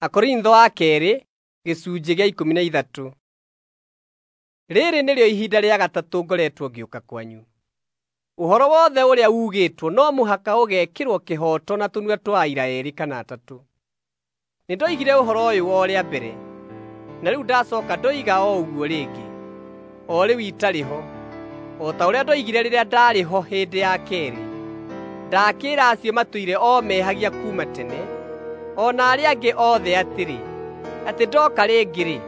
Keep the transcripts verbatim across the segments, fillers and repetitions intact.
Akorintho a keerĩ gĩcunjĩ gĩa ikũmi na ithatũ. Rĩrĩ nĩrĩo ihinda rĩa gatatũ ngoretwo ngĩũka kwanyu. Ũhoro wothe ũrĩa ugĩtwo no mũhaka ũgekĩrwo kĩhooto na tũnua twa aira eerĩ kana atatũ. Nĩndoigire ũhoro ũyũ o rĩa mbere, na rĩu ndacooka ndoiga o ũguo rĩngĩ, o rĩu itarĩ ho, o ta ũrĩa ndoigire rĩrĩa ndaarĩ ho hĩndĩ ya keerĩ. Ndakĩĩra acio matũire o mehagia kuuma tene, o na arĩa angĩ othe atĩrĩ, atĩ ndooka rĩngĩ-rĩ,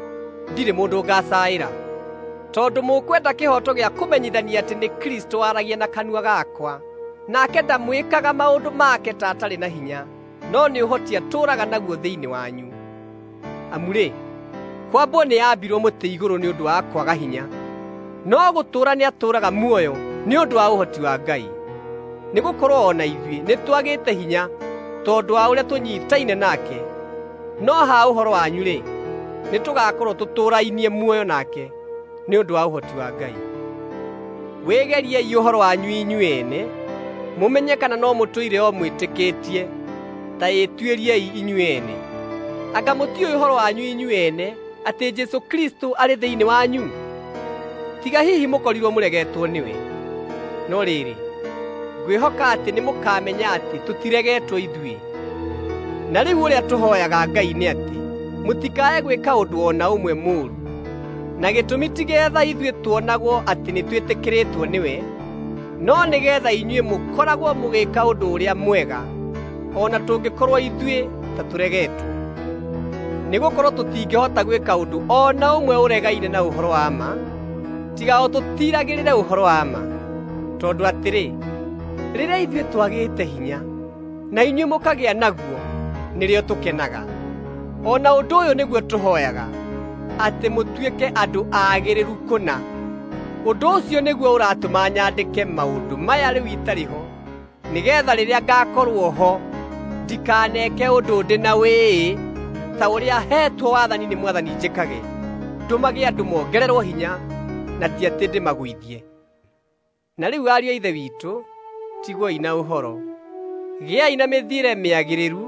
ndirĩ mũndũ ngaacaĩra. Tondũ mũkwenda kĩhooto gĩa kũmenyithania atĩ nĩ Kristũ waragia na kanua gakwa, nake ndamwĩkaga maũndũ make ta atarĩ na hinya, no nĩ ũhoti atũũraga naguo thĩinĩ wanyu. Amu-rĩ, kwambwo nĩambirwo mũtĩ igũrũ nĩ ũndũ wa kwaga hinya, no gũtũũra nĩatũũraga muoyo nĩ ũndũ wa ũhoti wa Ngai. Nĩgũkorwo o na ithuĩ nĩtwagĩte hinya tondũ wa ũrĩa tũnyiitaine nake, no ha ũhoro wanyu-rĩ, nĩtũgakorwo tũtũũrainie muoyo nake nĩ ũndũ wa ũhoti wa Ngai. Wĩgeriei ũhoro wanyu inyuĩ ene, mũmenye kana no mũtũire o mwĩtĩkĩtie. Ta ĩtuĩriei inyuĩ ene. Anga mũtiũĩ ũhoro wanyu inyuĩ ene atĩ Jesũ Kristũ arĩ thĩinĩ wanyu? Tiga hihi mũkorirwo mũregetwo nĩwe. No rĩrĩ, ngwĩhoka atĩ nĩmũkamenya atĩ tũtiregetwo ithuĩ. Na rĩu ũrĩa tũhooyaga Ngai nĩ atĩ mũtikae gwĩka ũndũ o na ũmwe mũũru. Na gĩtũmi ti geetha ithuĩ tuonagwo atĩ nĩtwĩtĩkĩrĩtwo nĩwe, no nĩgeetha inyuĩ mũkoragwo mũgĩĩka ũndũ ũrĩa mwega, o na tũngĩkorwo ithuĩ ta tũregetwo. Nĩgũkorwo tũtingĩhota gwĩka ũndũ o na ũmwe ũregaine na ũhoro wa ma, tiga o tũtiiragĩrĩre ũhoro wa ma. Tondũ atĩrĩ, rĩrĩa ithuĩ twagĩte hinya, na inyuĩ mũkagĩa naguo, nĩrĩo tũkenaga. O na ũndũ ũyũ nĩguo tũhooyaga, atĩ mũtuĩke andũ aagĩrĩru kũna. Ũndũ ũcio nĩguo ũratũma nyandĩke maũndũ maya rĩu itarĩ ho, nĩgeetha rĩrĩa ngaakorwo ho ndikaneke ũndũ ndĩ na wĩĩ ta ũrĩa heetwo wathani nĩ Mwathani njĩkage, ndũmage andũ mongererwo hinya na ti atĩ ndĩmagũithie. Na rĩu ariũ a Ithe witũ, tigwoi na ũhoro. Gĩai na mĩthiĩre mĩagĩrĩru,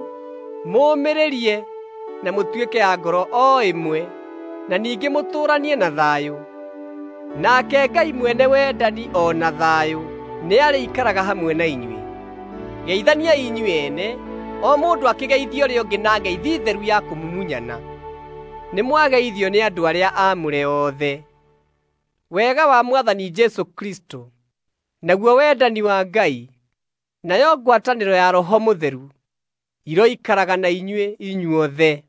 mũũmĩrĩrie na mũtuĩke a ngoro o ĩmwe, na ningĩ mũtũũranie na thayũ. Nake Ngai mwene wendani o na thayũ nĩarĩikaraga hamwe na inyuĩ. Geithaniai inyuĩ ene, o mũndũ akĩgeithia ũrĩa ũngĩ na ngeithi theru ya kũmumunyana. Nĩmwageithio nĩ andũ arĩa aamũre othe. Wega wa Mwathani Jesũ Kristũ, naguo wendani wa Ngai, nayo ngwatanĩro ya Roho Mũtheru iroikaraga na inyuĩ inyuothe.